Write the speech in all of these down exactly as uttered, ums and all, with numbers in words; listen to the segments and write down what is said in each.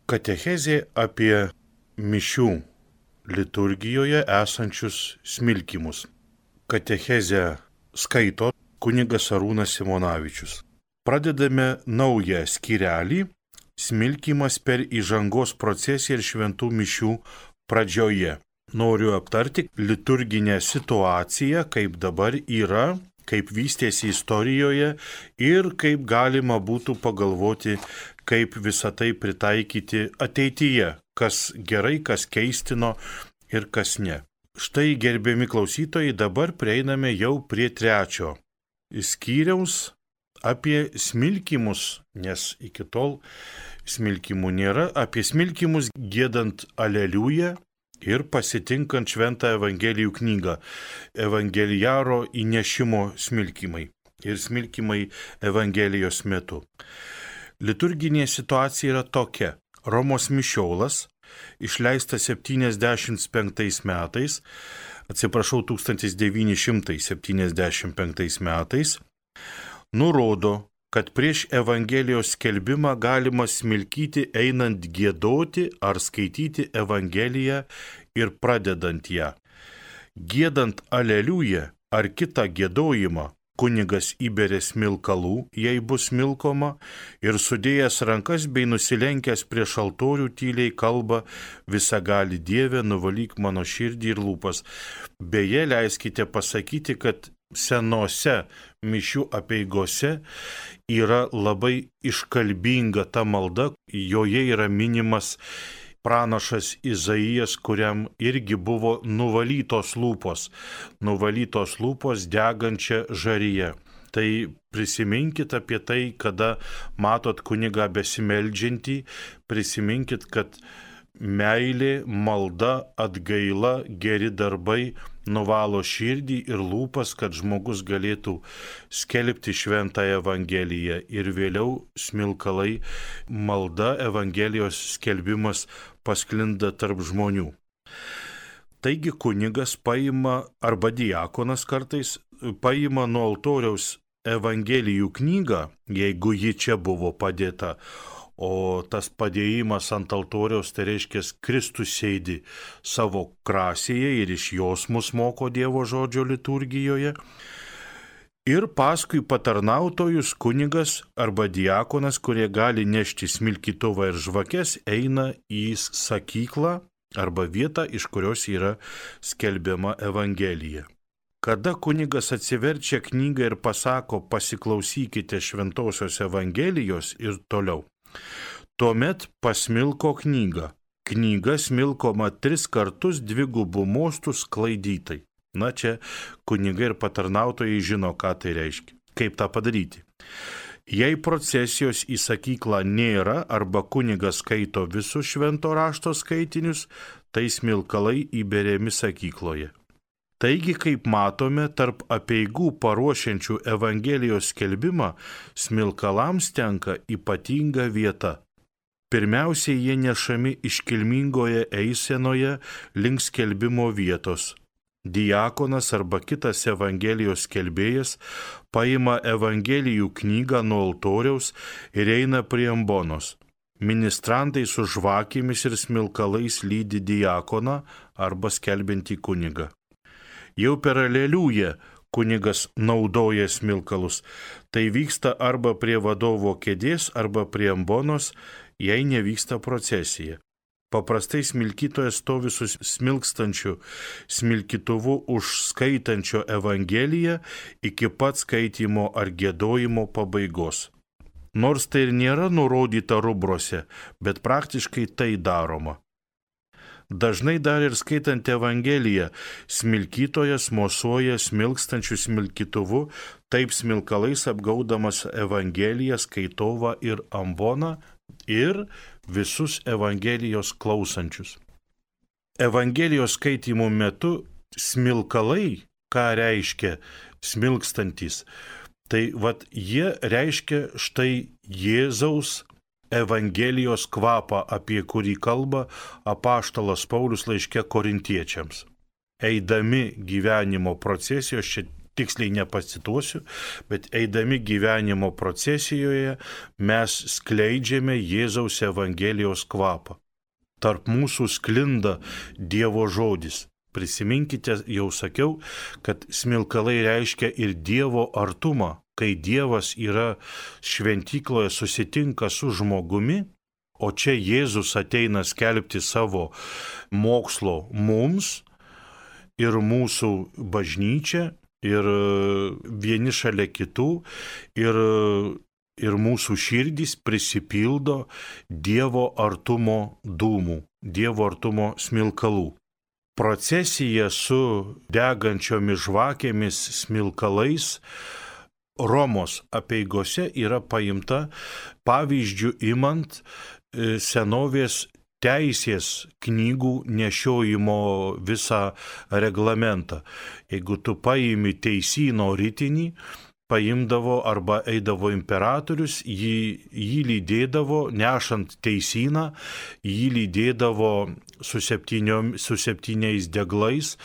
Katechezė apie mišių liturgijoje esančius smilkymus. Katechezę skaito kunigas Arūnas Simonavičius. Pradedame naują skyrelį – smilkymas per įžangos procesiją ir šventų mišių pradžioje. Noriu aptarti liturginę situaciją, kaip dabar yra, kaip vystėsi istorijoje ir kaip galima būtų pagalvoti, kaip visą tai pritaikyti ateityje, kas gerai, kas keistino ir kas ne. Štai, gerbiami klausytojai, dabar prieiname jau prie trečio skyriaus apie smilkymus, nes iki tol smilkymų nėra, apie smilkymus giedant Aleliuja ir pasitinkant šventą Evangelijų knygą, evangelijaro įnešimo smilkymai ir smilkymai Evangelijos metu. Liturginė situacija yra tokia. Romos mišiolas, išleistas septyniasdešimt penktais metais, atsiprašau, tūkstantis devyni šimtai septyniasdešimt penktais metais, nurodo, kad prieš Evangelijos skelbimą galima smilkyti einant giedoti ar skaityti Evangeliją ir pradedant ją. Giedant Aleliuja ar kitą giedojimą, kunigas įberia smilkalų, jei bus smilkoma, ir sudėjęs rankas bei nusilenkęs prieš altorių tyliai kalba: visagali Dieve, nuvalyk mano širdį ir lūpas. Beje, leiskite pasakyti, kad senose mišių apeigose yra labai iškalbinga ta malda, joje yra minimas pranašas Izaijas, kuriam irgi buvo nuvalytos lūpos, nuvalytos lūpos degančia žaryje. Tai prisiminkit apie tai, kada matot kunigą besimeldžiantį, prisiminkit, kad meilė, malda, atgaila, geri darbai nuvalo širdį ir lūpas, kad žmogus galėtų skelbti šventąją Evangeliją ir vėliau smilkalai, malda, Evangelijos skelbimas pasklinda tarp žmonių. Taigi kunigas paima, arba diakonas kartais, paima nuo altoriaus Evangelijų knygą, jeigu ji čia buvo padėta, o tas padėjimas ant altoriaus, tai reiškia, Kristus sėdi savo krasėje ir iš jos mus moko Dievo žodžio liturgijoje. Ir paskui patarnautojus kunigas arba diakonas, kurie gali nešti smilkytuvą ir žvakes, eina į sakyklą arba vietą, iš kurios yra skelbiama Evangelija. Kada kunigas atsiverčia knygą ir pasako: pasiklausykite šventosios Evangelijos ir toliau, tuomet pasmilko knygą. Knyga smilkoma tris kartus dvigubų mostų sklaidytai. Na, čia kunigai ir patarnautojai žino, ką tai reiškia. Kaip tą padaryti? Jei procesijos į sakyklą nėra arba kunigas skaito visus švento rašto skaitinius, tai smilkalai įberiami sakykloje. Taigi, kaip matome, tarp apeigų paruošiančių Evangelijos skelbimą smilkalams tenka ypatinga vieta. Pirmiausiai jie nešami iškilmingoje eisenoje link skelbimo vietos. Diakonas arba kitas Evangelijos skelbėjas paima Evangelijų knygą nuo altoriaus ir eina prie ambonos. Ministrantai su žvakėmis ir smilkalais lydi diakoną arba skelbiantį kunigą. Jau per Aleliują kunigas naudoja smilkalus. Tai vyksta arba prie vadovo kėdės, arba prie ambonos, jei nevyksta procesija. Paprastai smilkytojas stovi su smilkstančiu smilkytuvu už skaitančio Evangeliją iki pat skaitymo ar giedojimo pabaigos. Nors tai ir nėra nurodyta rubrose, bet praktiškai tai daroma. Dažnai dar ir skaitant Evangeliją, smilkytojas mosuoja smilkstančiu smilkytuvu, taip smilkalais apgaudamas Evangeliją, skaitovą ir amboną ir visus Evangelijos klausančius. Evangelijos skaitymo metu smilkalai, ką reiškia smilkstantis, tai vat jie reiškia štai Jėzaus Evangelijos kvapą, apie kurį kalba apaštalas Paulius laiške korintiečiams. Eidami gyvenimo procesijos, čia tiksliai nepacituosiu, bet eidami gyvenimo procesijoje mes skleidžiame Jėzaus Evangelijos kvapą. Tarp mūsų sklinda Dievo žodis. Prisiminkite, jau sakiau, kad smilkalai reiškia ir Dievo artumą. Kai Dievas yra šventykloje, susitinka su žmogumi, o čia Jėzus ateina skelbti savo mokslo mums ir mūsų bažnyčia, ir vieni šalia kitų, ir, ir mūsų širdys prisipildo Dievo artumo dūmų, Dievo artumo smilkalų. Procesija su degančiomis žvakėmis, smilkalais Romos apeigose yra paimta pavyzdžių imant senovės teisės knygų nešiojimo visą reglamentą. Jeigu tu paimi teisyno ritinį, paimdavo arba eidavo imperatorius, jį, jį lydėdavo, nešant teisyną, jį lydėdavo su, su septyniais deglais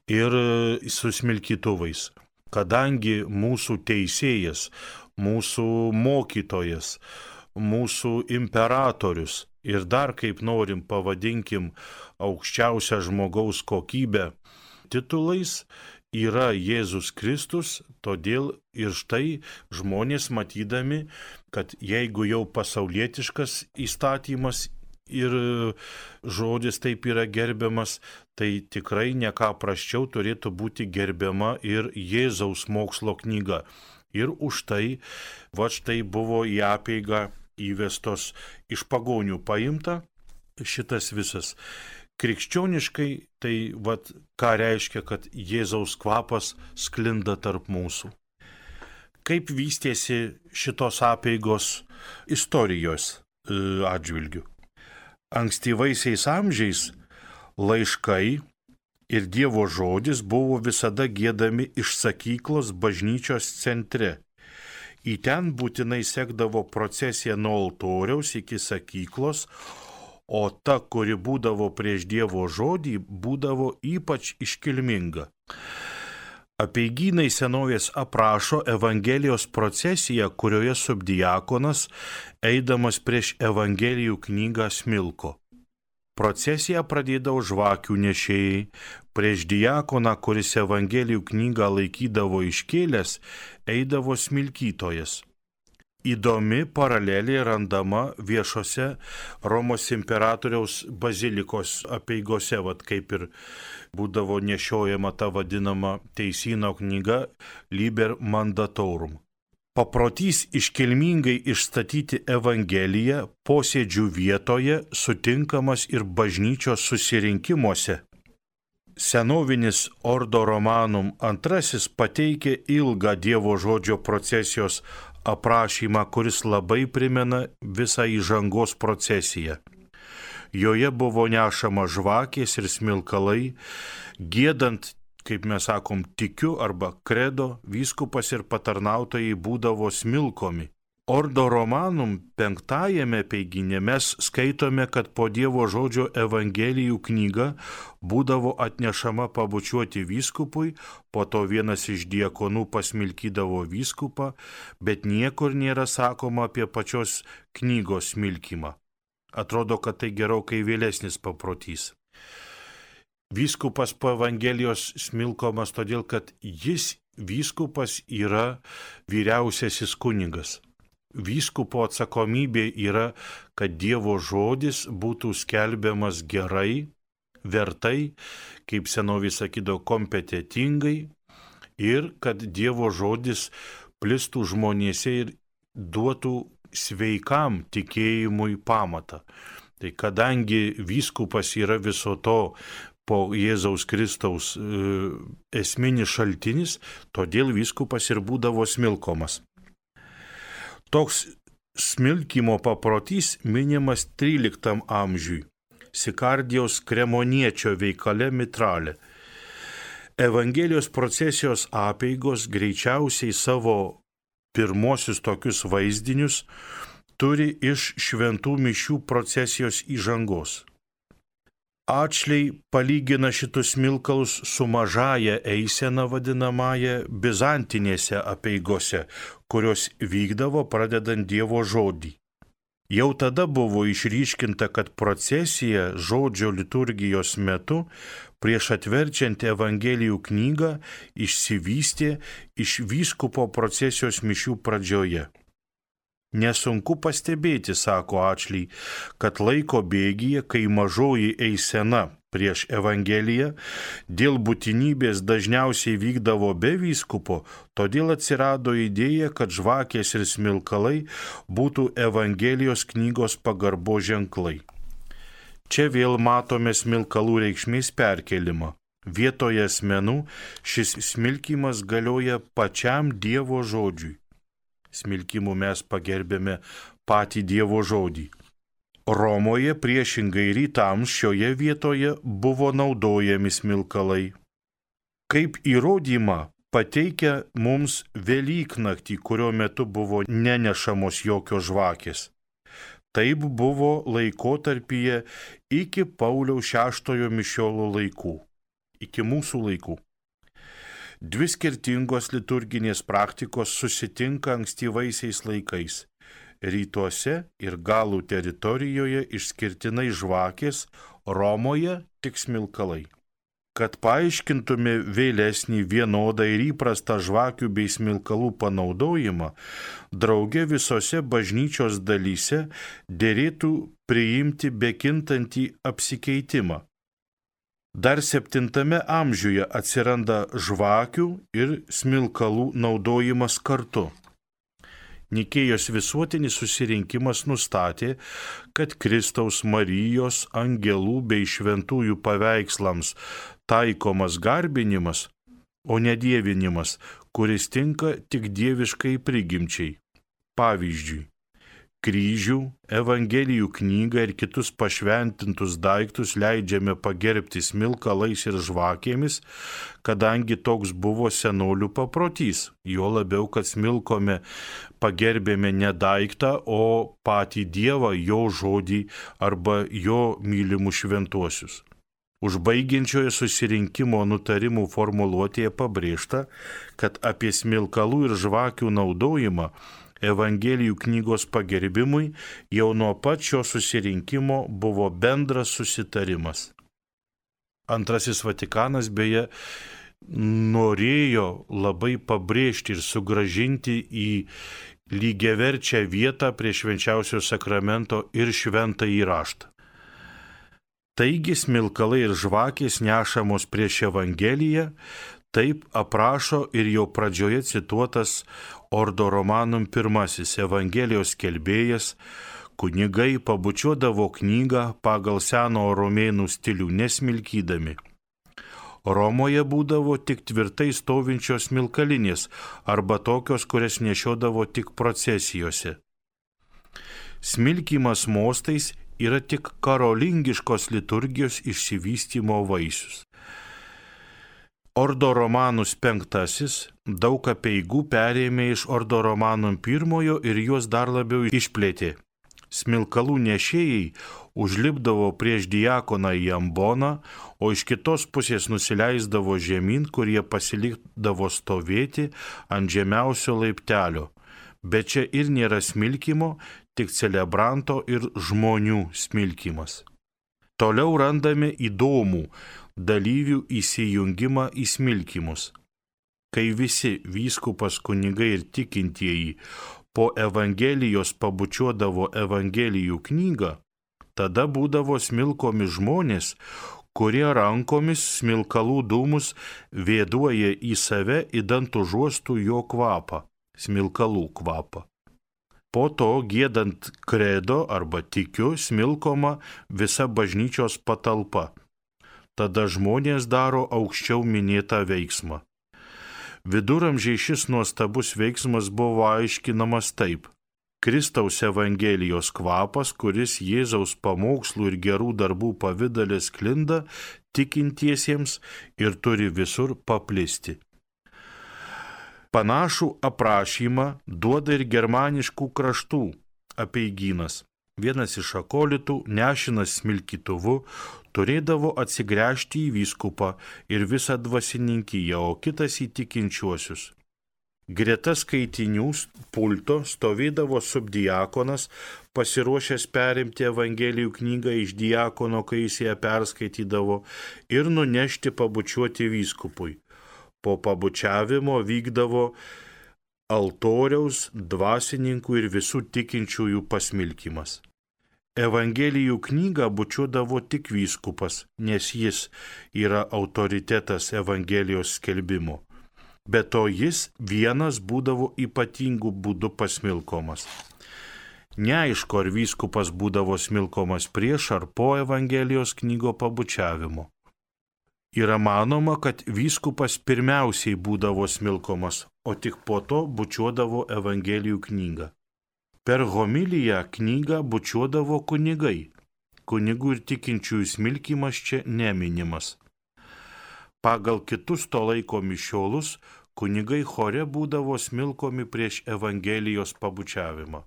ir su smilkytuvais. Kadangi mūsų teisėjas, mūsų mokytojas, mūsų imperatorius ir dar kaip norim pavadinkim aukščiausią žmogaus kokybę titulais yra Jėzus Kristus, todėl ir štai žmonės matydami, kad jeigu jau pasaulietiškas įstatymas ir žodis taip yra gerbiamas, tai tikrai ne ką prasčiau turėtų būti gerbiama ir Jėzaus mokslo knyga. Ir už tai, va štai buvo į apeigą įvestos iš pagonių paimta šitas visas. Krikščioniškai tai vat ką reiškia, kad Jėzaus kvapas sklinda tarp mūsų. Kaip vystėsi šitos apeigos istorijos atžvilgiu? Ankstyvaisiais amžiais laiškai ir Dievo žodis buvo visada giedami iš sakyklos bažnyčios centre. Į ten būtinai sekdavo procesija nuo altoriaus iki sakyklos, o ta, kuri būdavo prieš Dievo žodį, būdavo ypač iškilminga. Apeigynai senovės aprašo Evangelijos procesiją, kurioje subdiakonas, eidamas prieš Evangelijų knygą smilko. Procesiją pradėdavo žvakių nešėjai, prieš diakoną, kuris Evangelijų knygą laikydavo iškėlęs, eidavo smilkytojas. Įdomi paralelė randama viešose Romos imperatoriaus bazilikos apeigose, vat kaip ir būdavo nešiojama ta vadinama teisyno knyga Liber Mandatorum. Paprotys iškilmingai išstatyti Evangeliją posėdžių vietoje sutinkamas ir bažnyčios susirinkimuose. Senovinis Ordo Romanum antrasis pateikė ilgą Dievo žodžio procesijos aprašymą, kuris labai primena visą įžangos procesiją. Joje buvo nešama žvakės ir smilkalai, giedant, kaip mes sakom, tikiu arba kredo, vyskupas ir patarnautojai būdavo smilkomi. Ordo Romanum penktajame apeigyne mes skaitome, kad po Dievo žodžio Evangelijų knyga būdavo atnešama pabučiuoti vyskupui, po to vienas iš diakonų pasmilkydavo vyskupą, bet niekur nėra sakoma apie pačios knygos smilkymą. Atrodo, kad tai gerokai vėlesnis paprotys. Vyskupas po Evangelijos smilkomas todėl, kad jis vyskupas yra vyriausiasis kunigas. Vyskupo atsakomybė yra, kad Dievo žodis būtų skelbiamas gerai, vertai, kaip senovės sakydavo, kompetentingai ir kad Dievo žodis plistų žmonėse ir duotų sveikam tikėjimui pamatą. Tai kadangi vyskupas yra viso to po Jėzaus Kristaus e, esminis šaltinis, todėl vyskupas ir būdavo smilkomas. Toks smilkymo paprotys minimas tryliktam amžiui, Sikardijos kremoniečio veikale Mitrale. Evangelijos procesijos apeigos greičiausiai savo pirmosius tokius vaizdinius turi iš šventų mišių procesijos įžangos. Atšliai palygina šitus smilkalus su mažaja eisena vadinamąja bizantinėse apeigose, kurios vykdavo pradedant Dievo žodį. Jau tada buvo išryškinta, kad procesija žodžio liturgijos metu prieš atverčiant Evangelijų knygą išsivystė iš vyskupo procesijos mišių pradžioje. Nesunku pastebėti, sako Atšliai, kad laiko bėgyje, kai mažoji eisena prieš Evangeliją dėl būtinybės dažniausiai vykdavo be vyskupo, todėl atsirado idėja, kad žvakės ir smilkalai būtų Evangelijos knygos pagarbo ženklai. Čia vėl matome smilkalų reikšmės perkelimą. Vietoje asmenų šis smilkymas galioja pačiam Dievo žodžiui. Smilkimu mes pagerbėme patį Dievo žodį. Romoje priešingai rytams šioje vietoje buvo naudojami smilkalai. Kaip įrodymą pateikia mums Velyknaktį, kurio metu buvo nenešamos jokios žvakės. Taip buvo laikotarpyje iki Pauliaus šeštojo mišiolo laikų, iki mūsų laikų. Dvi skirtingos liturginės praktikos susitinka ankstyvaisiais laikais. Rytuose ir Galų teritorijoje išskirtinai žvakės, Romoje tik smilkalai. Kad paaiškintume vėlesnį vienodą ir įprastą žvakių bei smilkalų panaudojimą, drauge visose bažnyčios dalyse derėtų priimti bekintantį apsikeitimą. Dar septintame amžiuje atsiranda žvakių ir smilkalų naudojimas kartu. Nikėjos visuotinis susirinkimas nustatė, kad Kristaus, Marijos, angelų bei šventųjų paveikslams taikomas garbinimas, o ne dievinimas, kuris tinka tik dieviškai prigimčiai. Pavyzdžiui, kryžių, Evangelijų knygą ir kitus pašventintus daiktus leidžiame pagerbti smilkalais ir žvakėmis, kadangi toks buvo senolių paprotys, jo labiau, kad smilkome pagerbėme ne daiktą, o patį Dievą, jo žodį arba jo mylimus šventuosius. Užbaigiančioje susirinkimo nutarimų formuluotėje pabrėžta, kad apie smilkalų ir žvakių naudojimą Evangelijų knygos pagerbimui jau nuo pat šio susirinkimo buvo bendras susitarimas. Antrasis Vatikanas beje norėjo labai pabrėžti ir sugrąžinti į lygiaverčią vietą prie švenčiausio sakramento ir šventąjį raštą. Taigi smilkalai ir žvakės nešamos prieš Evangeliją, taip aprašo ir jau pradžioje cituotas Ordo Romanum pirmasis Evangelijos skelbėjas, kunigai pabučiuodavo knygą pagal seno romėnų stilių nesmilkydami. Romoje būdavo tik tvirtai stovinčios smilkalinės arba tokios, kurias nešiodavo tik procesijose. Smilkymas mostais yra tik karolingiškos liturgijos išsivystymo vaisius. Ordo Romanus penktasis daug apeigų perėmė iš Ordo Romanum pirmojo ir juos dar labiau išplėtė. Smilkalų nešėjai užlipdavo prieš diakoną į amboną, o iš kitos pusės nusileisdavo žemyn, kurie pasilikdavo stovėti ant žemiausio laiptelio. Bet čia ir nėra smilkymo, tik celebranto ir žmonių smilkymas. Toliau randame įdomų dalyvių įsijungimą į smilkymus. Kai visi vyskupas, kunigai ir tikintieji po Evangelijos pabučiuodavo Evangelijų knygą, tada būdavo smilkomi žmonės, kurie rankomis smilkalų dūmus vėduoja į save, idant užuostų jo kvapą, smilkalų kvapą. Po to, giedant kredo arba tikiu, smilkoma visa bažnyčios patalpa. Tada žmonės daro aukščiau minėtą veiksmą. Viduramžiai šis nuostabus veiksmas buvo aiškinamas taip. Kristaus Evangelijos kvapas, kuris Jėzaus pamokslų ir gerų darbų pavidale sklinda tikintiesiems ir turi visur paplisti. Panašų aprašymą duoda ir germaniškų kraštų apeigynas. Vienas iš akolitų, nešinas smilkytuvu, turėdavo atsigręžti į vyskupą ir visą dvasininkiją, o kitas į tikinčiuosius. Greta skaitinių pulto stovėdavo subdiakonas, pasiruošęs perimti Evangelijų knygą iš diakono, kai jis ją perskaitydavo, ir nunešti pabučiuoti vyskupui. Po pabučiavimo vykdavo altoriaus, dvasininkų ir visų tikinčiųjų pasmilkimas. Evangelijų knygą bučiuodavo tik vyskupas, nes jis yra autoritetas Evangelijos skelbimo. Be to jis vienas būdavo ypatingų būdų pasmilkomas. Neaišku, ar vyskupas būdavo smilkomas prieš ar po Evangelijos knygo pabučiavimo. Yra manoma, kad vyskupas pirmiausiai būdavo smilkomas, o tik po to bučiuodavo Evangelijų knygą. Per homiliją knygą bučiuodavo kunigai. Kunigų ir tikinčiųjų smilkimas čia neminimas. Pagal kitus to laiko mišiolus, kunigai chore būdavo smilkomi prieš Evangelijos pabučiavimą.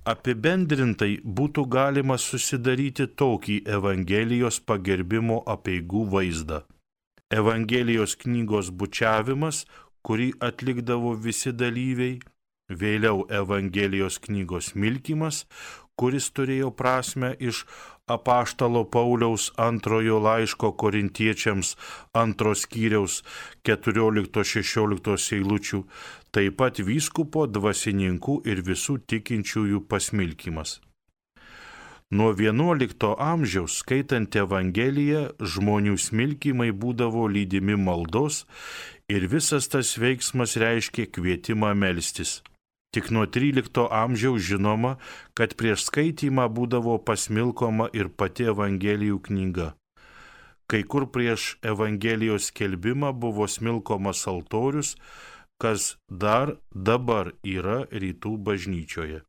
Apibendrintai būtų galima susidaryti tokį Evangelijos pagerbimo apeigų vaizdą. Evangelijos knygos bučiavimas, kurį atlikdavo visi dalyviai, vėliau Evangelijos knygos smilkimas, kuris turėjo prasmę iš apaštalo Pauliaus antrojo laiško korintiečiams antros skyriaus keturioliktos šešioliktos eilučių, taip pat vyskupo, dvasininkų ir visų tikinčiųjų pasmilkimas. Nuo vienuolikto amžiaus, skaitant Evangeliją, žmonių smilkimai būdavo lydimi maldos ir visas tas veiksmas reiškė kvietimą melstis. Tik nuo trylikto amžiaus žinoma, kad prieš skaitymą būdavo pasmilkoma ir pati Evangelijų knyga. Kai kur prieš Evangelijos skelbimą buvo smilkomas altorius, kas dar dabar yra rytų bažnyčioje.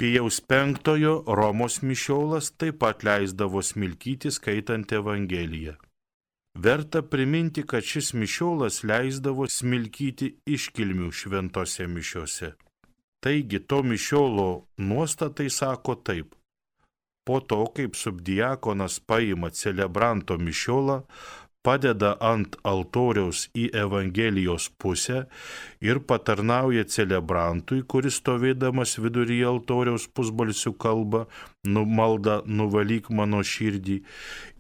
Pijaus penktojo Romos mišiolas taip pat leisdavo smilkyti skaitant Evangeliją. Verta priminti, kad šis mišiolas leisdavo smilkyti iškilmių šventose mišiose. Taigi to mišiolo nuostatai sako taip. Po to, kaip subdiakonas paima celebranto mišiolą, padeda ant altoriaus į Evangelijos pusę ir patarnauja celebrantui, kuris stovėdamas viduryje altoriaus pusbalsiu kalba, numalda nuvalyk mano širdį,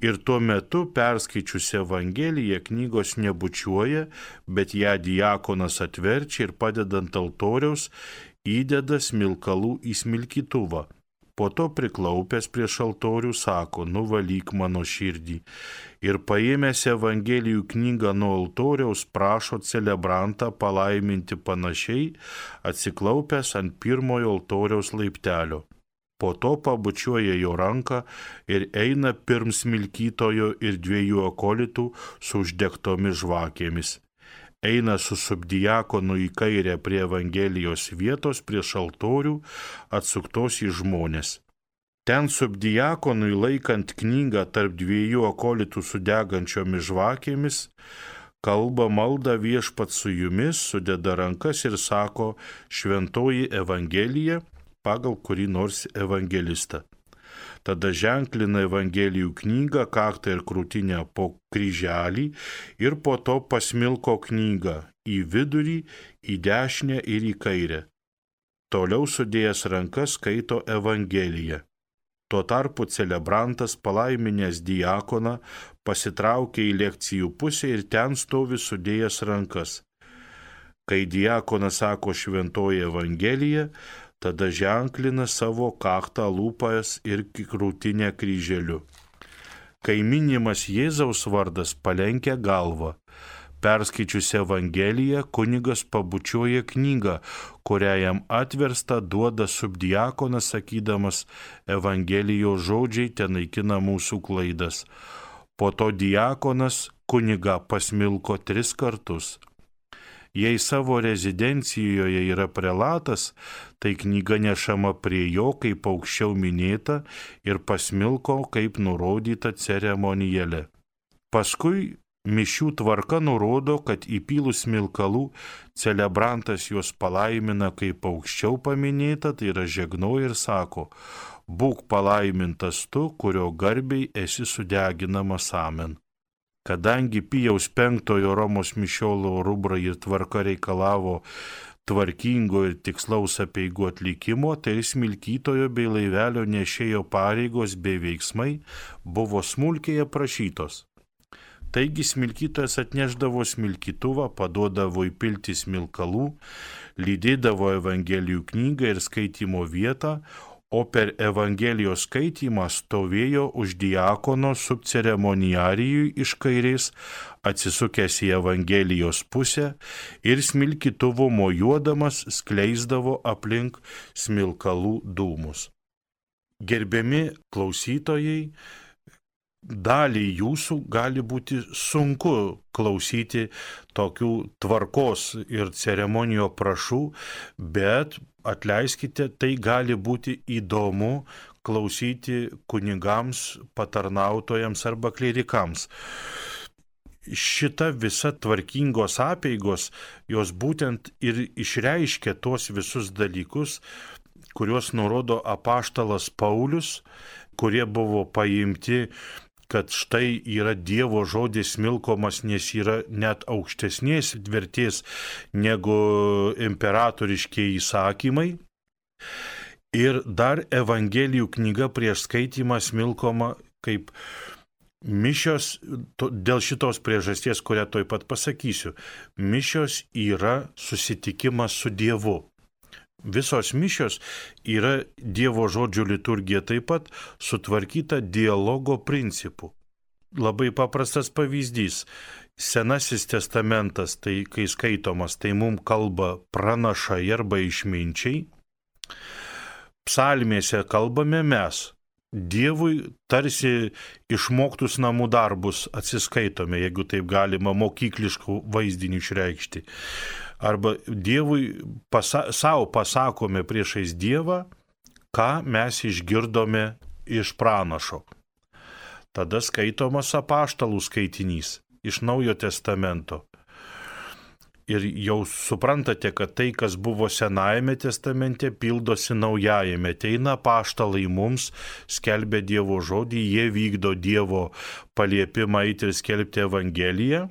ir tuo metu perskaičius Evangeliją knygos nebučiuoja, bet ją diakonas atverčia ir padedant altoriaus įdeda smilkalų į smilkytuvą. Po to priklaupęs prieš altorių sako, nuvalyk mano širdį, ir paėmęs Evangelijų knygą nuo altoriaus prašo celebrantą palaiminti panašiai, atsiklaupęs ant pirmojo altoriaus laiptelio. Po to pabučiuoja jo ranką ir eina pirm smilkytojo ir dviejų akolitų su uždegtomis žvakėmis. Eina su subdiakonu į kairę prie Evangelijos vietos prieš altorių, atsuktos į žmonės. Ten subdiakonui laikant knygą tarp dviejų akolitų su degančiomis žvakėmis, kalba malda viešpat su jumis, sudeda rankas ir sako šventoji Evangelija pagal kurį nors evangelistą. Tada ženklina Evangelijų knygą, kaktą ir krūtinę po kryželį ir po to pasmilko knygą į vidurį, į dešinę ir į kairę. Toliau sudėjęs rankas skaito Evangeliją. Tuo tarpu celebrantas palaiminęs diakoną pasitraukia į lekcijų pusę ir ten stovi sudėjęs rankas. Kai diakonas sako šventoji Evangelija, tada ženklina savo kaktą lūpas ir krūtinę kryželiu. Kai minimas Jėzaus vardas, palenkia galvą. Perskaičius Evangeliją, kunigas pabučiuoja knygą, kurią jam atversta duoda subdiakonas, sakydamas Evangelijos žodžiai tenaikina mūsų klaidas. Po to diakonas kunigą pasmilko tris kartus. Jei savo rezidencijoje yra prelatas, tai knyga nešama prie jo, kaip aukščiau minėta, ir pasmilko, kaip nurodyta ceremonijale. Paskui Mišių tvarka nurodo, kad įpylus smilkalų celebrantas juos palaimina kaip aukščiau paminėta, tai yra žegnoja ir sako: būk palaimintas tu, kurio garbiai esi sudeginamas, amen. Kadangi Pijaus penktojo Romos mišiolo rubra ir tvarka reikalavo tvarkingo ir tikslaus apeigų atlikimo, tai smilkytojo bei laivelio nešėjo pareigos bei veiksmai buvo smulkiai aprašytos. Taigi smilkytojas atneždavo smilkytuvą, paduodavo įpilti smilkalų, lydėdavo Evangelijų knygą ir skaitymo vietą, o per Evangelijos skaitymą stovėjo už diakono subceremoniarijui iš kairės, atsisukęs į Evangelijos pusę ir smilkytuvo mojuodamas skleisdavo aplink smilkalų dūmus. Gerbiami klausytojai, dalį jūsų gali būti sunku klausyti tokių tvarkos ir ceremonijų aprašų, bet atleiskite, tai gali būti įdomu klausyti kunigams, patarnautojams arba klierikams. Šita visa tvarkingos apeigos, jos būtent ir išreiškia tuos visus dalykus, kuriuos nurodo apaštalas Paulius, kurie buvo paimti, kad štai yra Dievo žodis smilkomas, nes yra net aukštesnės vertės negu imperatoriškiai įsakymai. Ir dar Evangelijų knyga prieš skaitimą smilkoma kaip mišios, dėl šitos priežasties, kurią tuoj pat pasakysiu. Mišios yra susitikimas su Dievu. Visos mišios yra Dievo žodžių liturgija taip pat sutvarkyta dialogo principu. Labai paprastas pavyzdys. Senasis testamentas, tai kai skaitomas, tai mums kalba pranašai arba išminčiai. Psalmėse kalbame mes. Dievui tarsi išmoktus namų darbus atsiskaitome, jeigu taip galima mokykliškų vaizdinių išreikšti. Arba Dievui pasa, savo pasakome priešais Dievą, ką mes išgirdome iš pranašo. Tada skaitomas apaštalų skaitinys iš Naujo testamento. Ir jau suprantate, kad tai, kas buvo Senajame testamente, pildosi Naujajame. Ateina apaštalai mums, skelbia Dievo žodį, jie vykdo Dievo paliepimą eiti ir skelbti Evangeliją.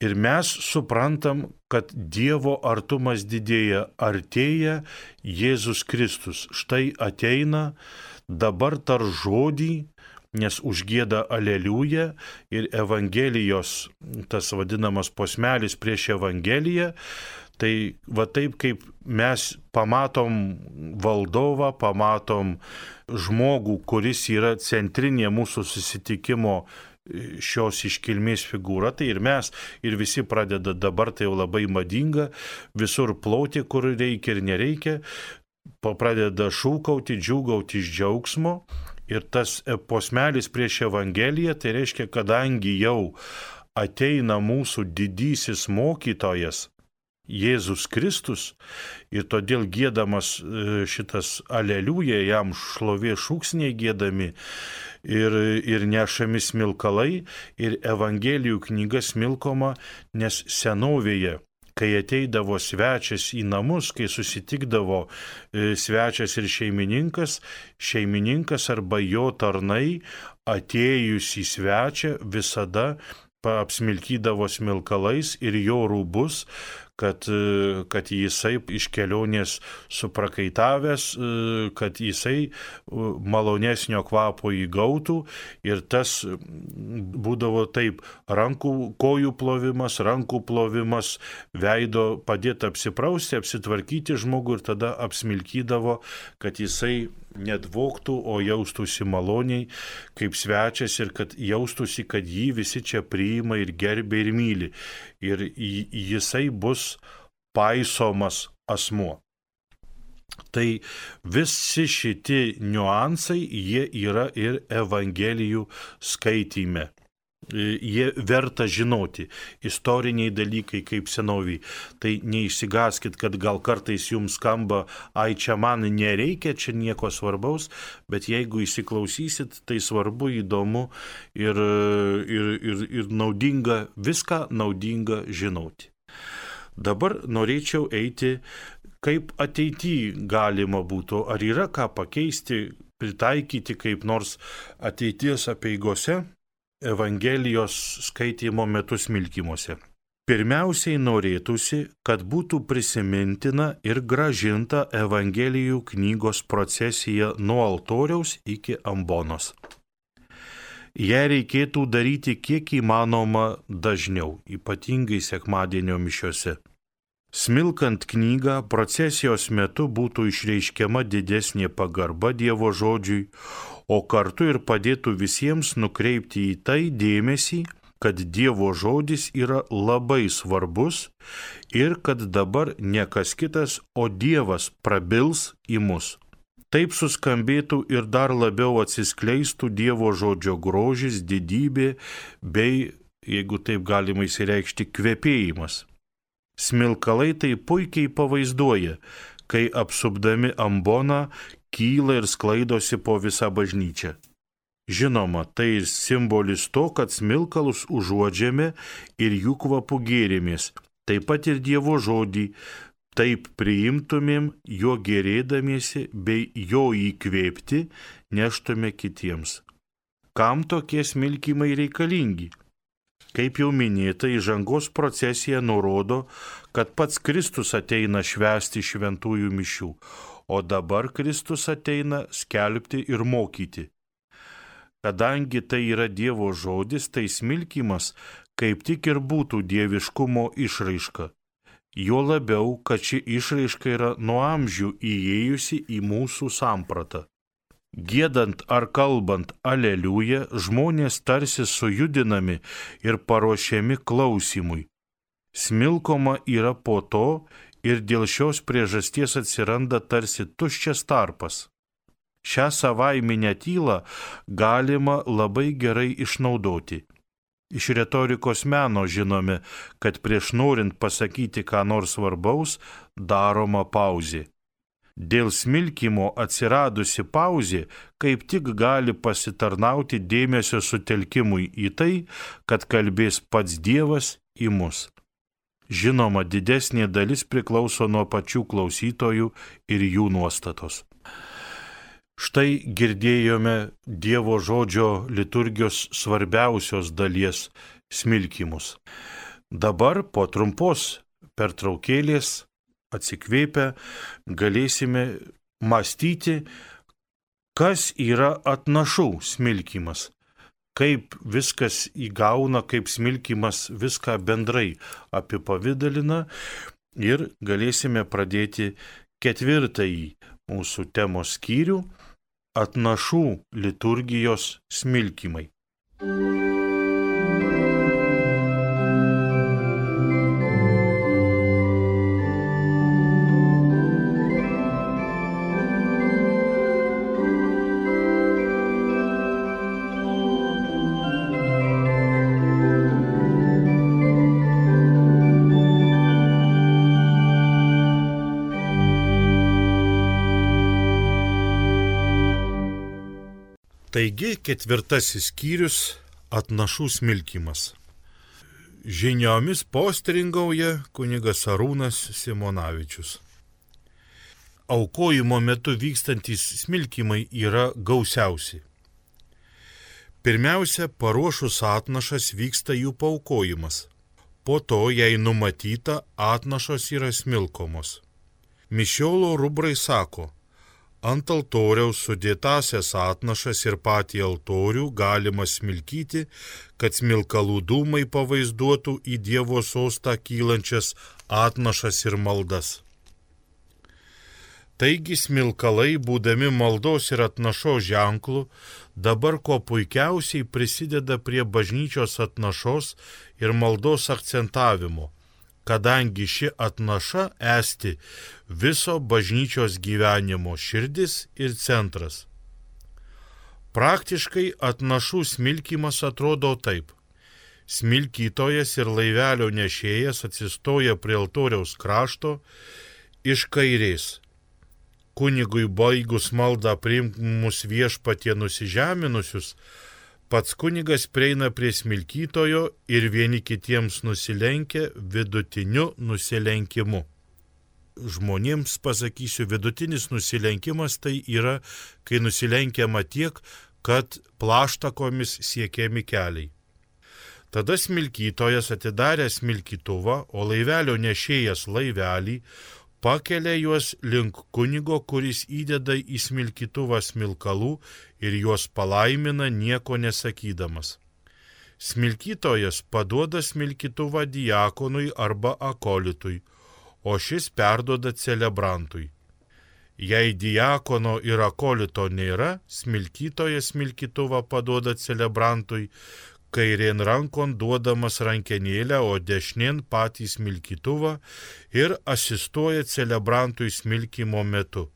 Ir mes suprantam, kad Dievo artumas didėja, artėja Jėzus Kristus. Štai ateina, dabar tar žodį, nes užgieda aleliuja ir Evangelijos, tas vadinamas posmelis prieš Evangeliją, tai va taip kaip mes pamatom valdovą, pamatom žmogų, kuris yra centrinė mūsų susitikimo šios iškilmės figūra, tai ir mes, ir visi pradeda dabar, tai jau labai madinga, visur plauti, kur reikia ir nereikia, pradeda šūkauti, džiūgauti iš džiaugsmo. Ir tas posmelis prieš Evangeliją, tai reiškia, kadangi jau ateina mūsų didysis mokytojas, Jėzus Kristus, ir todėl giedamas šitas aleliuja, jam šlovė šūksniai giedami ir, ir nešami smilkalai, ir Evangelijų knyga smilkoma, nes senovėje, kai ateidavo svečias į namus, kai susitikdavo svečias ir šeimininkas, šeimininkas arba jo tarnai atėjus į svečią visada apsmilkydavo smilkalais ir jo rūbus, kad, kad jisai iš kelionės suprakaitavęs, kad jisai malonesnio kvapo įgautų, ir tas būdavo taip, rankų, kojų plovimas, rankų plovimas, veido padėti apsiprausti, apsitvarkyti žmogų ir tada apsmilkydavo, kad jisai nedvoktų, o jaustųsi maloniai kaip svečias ir kad jaustųsi, kad jį visi čia priima ir gerbia ir myli. Ir jisai bus paisomas asmuo. Tai visi šitie niuansai, jie yra ir Evangelijų skaityme. jie verta žinoti, istoriniai dalykai kaip senoviai. Tai neišsigaskit, kad gal kartais jums skamba, ai čia man nereikia, čia nieko svarbaus, bet jeigu įsiklausysit, tai svarbu, įdomu ir, ir, ir, ir naudinga, viską naudinga žinoti. Dabar norėčiau eiti, kaip ateityje galima būtų, ar yra ką pakeisti, pritaikyti kaip nors ateities apeigose, Evangelijos skaitymo metu smilkymuose. Pirmiausiai norėtųsi, kad būtų prisimintina ir gražinta Evangelijų knygos procesija nuo altoriaus iki ambonos. Ją reikėtų daryti kiek įmanoma dažniau, ypatingai sekmadienio mišiose. Smilkant knygą, procesijos metu būtų išreiškiama didesnė pagarba Dievo žodžiui, o kartu ir padėtų visiems nukreipti į tai dėmesį, kad Dievo žodis yra labai svarbus ir kad dabar ne kas kitas, o Dievas prabils į mus. Taip suskambėtų ir dar labiau atsiskleistų Dievo žodžio grožis, didybė bei, jeigu taip galima įsireikšti, kvepėjimas. Smilkalai tai puikiai pavaizduoja, kai apsupdami amboną kyla ir sklaidosi po visą bažnyčią. Žinoma, tai simbolis to, kad smilkalus užuodžiame ir jų kvapų gėrimės, taip pat ir Dievo žodį, taip priimtumėm jo gėrėdamiesi bei jo įkvėpti neštume kitiems. Kam tokie smilkymai reikalingi? Kaip jau minėta, įžangos procesija nurodo, kad pats Kristus ateina švęsti šventųjų mišių, o dabar Kristus ateina skelbti ir mokyti. Kadangi tai yra Dievo žodis, tai smilkymas kaip tik ir būtų dieviškumo išraiška. Jo labiau, kad ši išraiška yra nuo amžių įėjusi į mūsų sampratą. Giedant ar kalbant aleliuja, žmonės tarsi sujudinami ir paruošiami klausimui. Smilkoma yra po to ir dėl šios priežasties atsiranda tarsi tuščias tarpas. Šią savaiminę tylą galima labai gerai išnaudoti. Iš retorikos meno žinome, kad prieš norint pasakyti ką nors svarbaus, daroma pauzė. Dėl smilkymo atsiradusi pauzė kaip tik gali pasitarnauti dėmesio sutelkimui į tai, kad kalbės pats Dievas į mus. Žinoma, didesnė dalis priklauso nuo pačių klausytojų ir jų nuostatos. Štai girdėjome Dievo žodžio liturgijos svarbiausios dalies smilkymus. Dabar po trumpos pertraukėlės atsikvėpę galėsime mąstyti, kas yra atnašų smilkymas, kaip viskas įgauna, kaip smilkymas viską bendrai apipavidalina ir galėsime pradėti ketvirtąjį mūsų temos skyrių – atnašų liturgijos smilkymai. Taigi ketvirtasis skyrius – atnašų smilkymas. Žiniomis postringauja kunigas Arūnas Simonavičius. Aukojimo metu vykstantys smilkymai yra gausiausi. Pirmiausia, paruošus atnašas vyksta jų paaukojimas. Po to, jei numatyta, atnašos yra smilkomos. Mišiolo rubrai sako, ant altoriaus sudėtasias atnašas ir patį altorių galima smilkyti, kad smilkalų dūmai pavaizduotų į Dievo sostą kylančias atnašas ir maldas. Taigi smilkalai, būdami maldos ir atnašos ženklų, dabar kuo puikiausiai prisideda prie bažnyčios atnašos ir maldos akcentavimo, kadangi ši atnaša esti viso bažnyčios gyvenimo širdis ir centras. Praktiškai atnašų smilkymas atrodo taip. Smilkytojas ir laivelio nešėjas atsistoja prie altoriaus krašto iš kairės. Kunigui baigus maldą priimus viešpatie nusižeminusius, pats kunigas prieina prie smilkytojo ir vieni kitiems nusilenkia vidutiniu nusilenkimu. Žmonėms pasakysiu, vidutinis nusilenkimas tai yra, kai nusilenkiama tiek, kad plaštakomis siekiami keliai. Tada smilkytojas atidarė smilkytuvą, o laivelio nešėjas laivelį pakelia juos link kunigo, kuris įdeda į smilkytuvą smilkalų ir juos palaimina nieko nesakydamas. Smilkytojas paduoda smilkytuvą diakonui arba akolitui, o šis perduoda celebrantui. Jei diakono ir akolito nėra, smilkytojas smilkytuvą paduoda celebrantui, kairien rankon duodamas rankenėlę, o dešinien patį smilkytuvą ir asistuoja celebrantui smilkymo metu.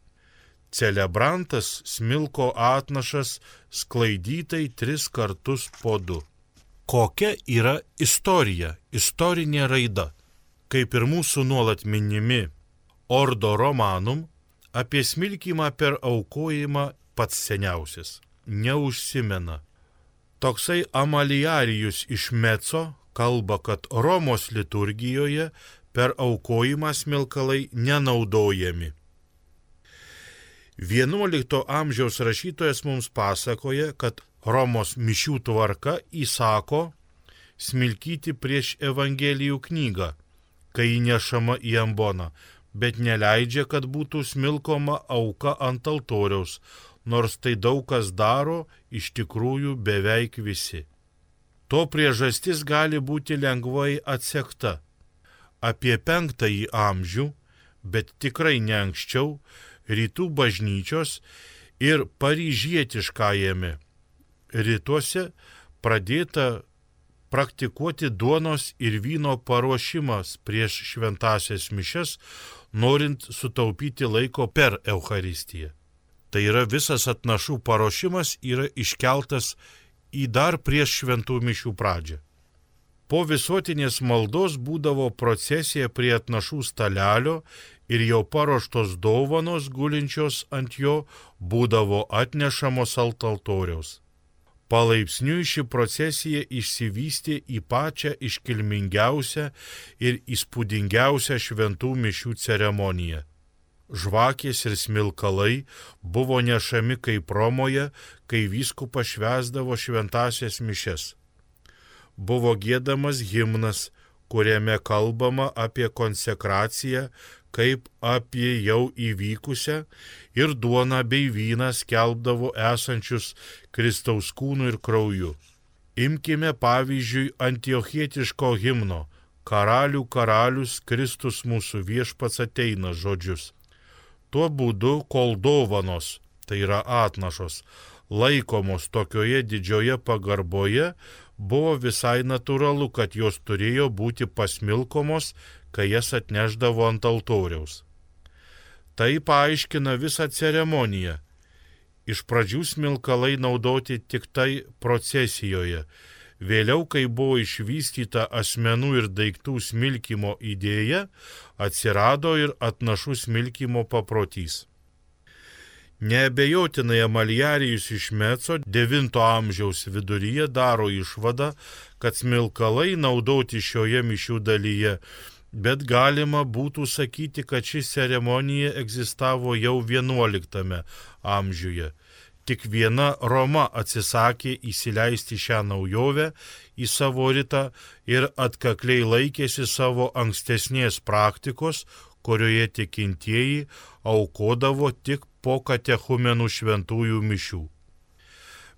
Celebrantas smilko atnašas sklaidytai tris kartus po du. Kokia yra istorija, istorinė raida? Kaip ir mūsų nuolat minimi Ordo Romanum, apie smilkymą per aukojimą pats seniausias neužsimena. Toksai Amaliarijus iš Meco kalba, kad Romos liturgijoje per aukojimą smilkalai nenaudojami. vienuolikto amžiaus rašytojas mums pasakoja, kad Romos mišių tvarka įsako smilkyti prieš Evangelijų knygą, kai įnešama į amboną, bet neleidžia, kad būtų smilkoma auka ant altoriaus, nors tai daug kas daro, iš tikrųjų beveik visi. To priežastis gali būti lengvai atsekta. Apie penktąjį amžių, bet tikrai ne anksčiau, rytų bažnyčios ir paryžietiškajame rytuose pradėta praktikuoti duonos ir vyno paruošimas prieš šventąsias mišias, norint sutaupyti laiko per Eucharistiją. Tai yra visas atnašų paruošimas yra iškeltas į dar prieš šventų mišių pradžią. Po visuotinės maldos būdavo procesija prie atnašų stalelio ir jau paruoštos dovanos gulinčios ant jo būdavo atnešamos ant altoriaus. Palaipsniui ši procesija išsivystė į pačią iškilmingiausią ir įspūdingiausią šventų mišių ceremoniją. Žvakės ir smilkalai buvo nešami kaip Romoje, kai vyskupas švęsdavo šventąsias mišias. Buvo giedamas himnas, kuriame kalbama apie konsekraciją kaip apie jau įvykusią, ir duoną bei vyną skelbdavo esančius Kristaus kūnu ir krauju. Imkime pavyzdžiui antiochietiško himno Karalių karalius Kristus mūsų viešpats ateina žodžius. Tuo būdu, kol dovanos, tai yra atnašos, laikomos tokioje didžioje pagarboje, buvo visai natūralu, kad jos turėjo būti pasmilkomos, kai jas atneždavo ant altoriaus. Tai paaiškina visą ceremoniją. Iš pradžių smilkalai naudoti tik tai procesijoje. Vėliau, kai buvo išvystyta asmenų ir daiktų smilkymo idėja, atsirado ir atnašų smilkymo paprotys. Neabejotinai Amaliarijus iš Meco devinto amžiaus viduryje daro išvadą, kad smilkalai naudoti šioje mišių dalyje, bet galima būtų sakyti, kad ši ceremonija egzistavo jau vienuoliktame amžiuje. Tik viena Roma atsisakė įsileisti šią naujovę į savo ritą ir atkakliai laikėsi savo ankstesnės praktikos, kurioje tikintieji aukodavo tik po katechumenų šventųjų mišių.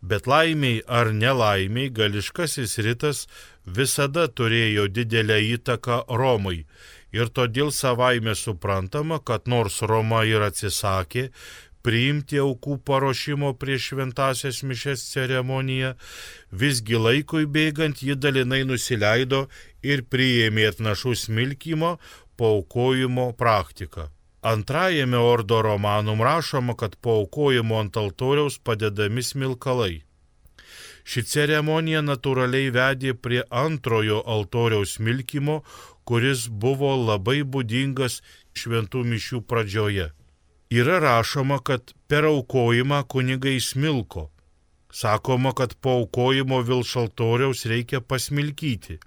Bet laimiai ar nelaimiai gališkasis ritas visada turėjo didelę įtaką Romai ir todėl savaime suprantama, kad nors Roma ir atsisakė priimti aukų paruošimo prieš šventąsias mišias ceremoniją, visgi laikui bėgant ji dalinai nusileido ir priėmė atnašų smilkymo paaukojimo praktiką. Antrajame Ordo Romanum rašoma, kad paaukojimo ant altoriaus padedami smilkalai. Ši ceremonija natūraliai vedė prie antrojo altoriaus smilkymo, kuris buvo labai būdingas šventų mišių pradžioje. Yra rašoma, kad per aukojimą kunigai smilko. Sakoma, kad po aukojimo virš altoriaus reikia pasmilkyti.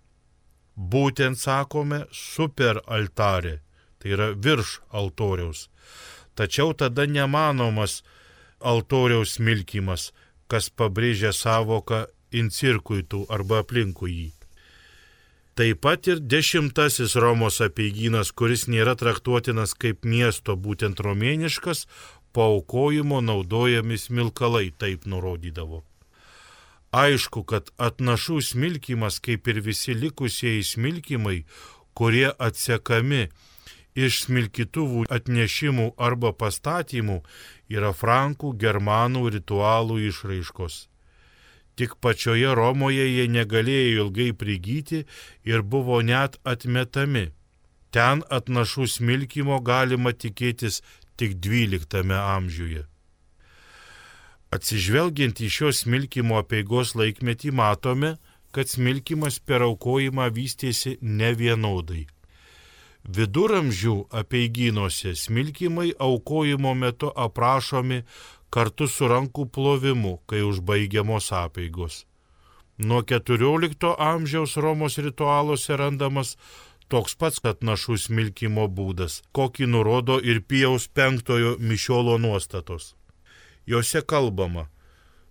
Būtent sakome super altarė, tai yra virš altoriaus. Tačiau tada nemanomas altoriaus smilkymas, kas pabrėžia savoką in circuitu arba aplinkui jį. Taip pat ir dešimtasis Romos apeigynas, kuris nėra traktuotinas kaip miesto, būtent romėniškas, po aukojimo naudojami smilkalai, taip nurodydavo. Aišku, kad atnašų smilkymas, kaip ir visi likusieji smilkymai, kurie atsekami iš smilkytuvų atnešimų arba pastatymų, yra frankų, germanų ritualų išraiškos. Tik pačioje Romoje jie negalėjo ilgai prigyti ir buvo net atmetami. Ten atnašų smilkymo galima tikėtis tik dvyliktame amžiuje. Atsižvelgiant į šios smilkymo apeigos laikmetį matome, kad smilkymas per aukojimą vystėsi nevienodai. Viduramžių apeigynuose smilkymai aukojimo metu aprašomi kartu su rankų plovimu, kai užbaigiamos apeigos. Nuo keturiolikto amžiaus Romos ritualuose randamas toks pats atnašų smilkymo būdas, kokį nurodo ir Pijaus penktojo mišiolo nuostatos. Jose kalbama,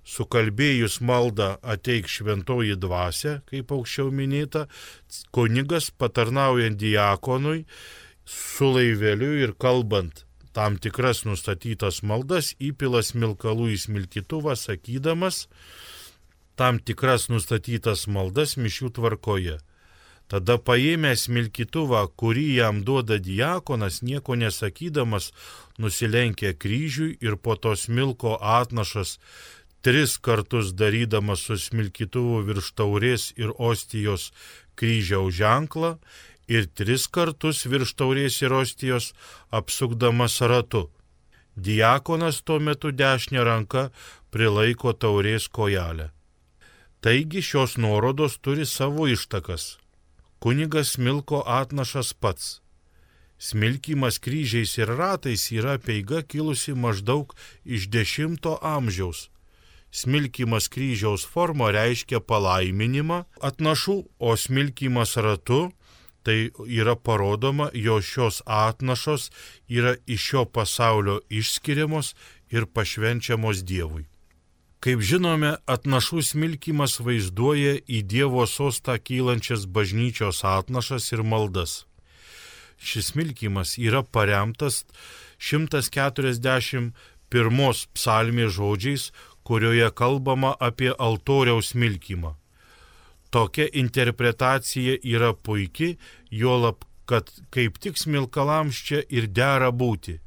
sukalbėjus maldą ateik šventoji dvasia, kaip aukščiau minėta, kunigas patarnaujant diakonui su laiveliu ir kalbant tam tikras nustatytas maldas įpila smilkalų į smilkytuvą, sakydamas tam tikras nustatytas maldas mišių tvarkoje. Tada paėmęs smilkytuvą, kurį jam duoda diakonas, nieko nesakydamas, nusilenkia kryžiui ir po to smilko atnašas, tris kartus darydamas su smilkytuvu virš taurės ir ostijos kryžiaus ženklą ir tris kartus virš taurės ir ostijos apsukdamas ratu. Diakonas tuo metu dešinę ranką prilaiko taurės kojelę. Taigi šios nuorodos turi savo ištakas. Kunigas smilko atnašas pats. Smilkymas kryžiais ir ratais yra apeiga kilusi maždaug iš dešimto amžiaus. Smilkymas kryžiaus forma reiškia palaiminimą atnašų, o smilkymas ratu tai yra parodoma, jo šios atnašos yra iš šio pasaulio išskiriamos ir pašvenčiamos Dievui. Kaip žinome, atnašų smilkymas vaizduoja į Dievo sostą kylančias bažnyčios atnašas ir maldas. Šis smilkymas yra paremtas šimtas keturiasdešimt pirmos psalmės žodžiais, kurioje kalbama apie altoriaus smilkymą. Tokia interpretacija yra puiki, juolab, kad kaip tik smilkalams čia ir dera būti.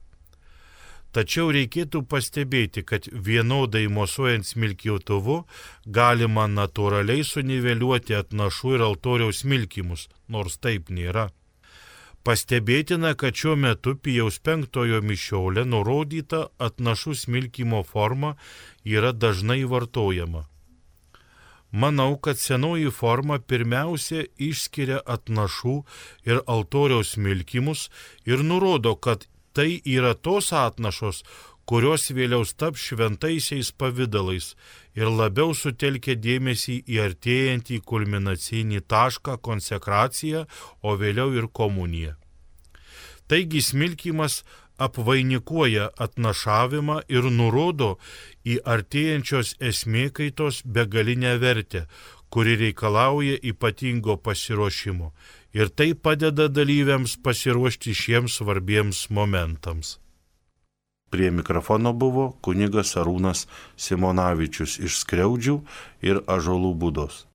Tačiau reikėtų pastebėti, kad vienodai mosuojant smilkytuvu galima natūraliai suniveliuoti atnašų ir altoriaus smilkymus, nors taip nėra. Pastebėtina, kad šiuo metu Pijaus penktojo mišiole nurodyta atnašų smilkymo forma yra dažnai vartojama. Manau, kad senoji forma pirmiausia išskiria atnašų ir altoriaus smilkymus ir nurodo, kad tai yra tos atnašos, kurios vėliau taps šventaisiais pavidalais ir labiau sutelkia dėmesį į artėjantį kulminacinį tašką konsekraciją, o vėliau ir komuniją. Taigi smilkymas apvainikuoja atnašavimą ir nurodo į artėjančios esmėkaitos begalinę vertę, kuri reikalauja ypatingo pasiruošimo. Ir tai padeda dalyviams pasiruošti šiems svarbiems momentams. Prie mikrofono buvo kunigas Arūnas Simonavičius iš Skriaudžių ir Ąžuolų Būdos.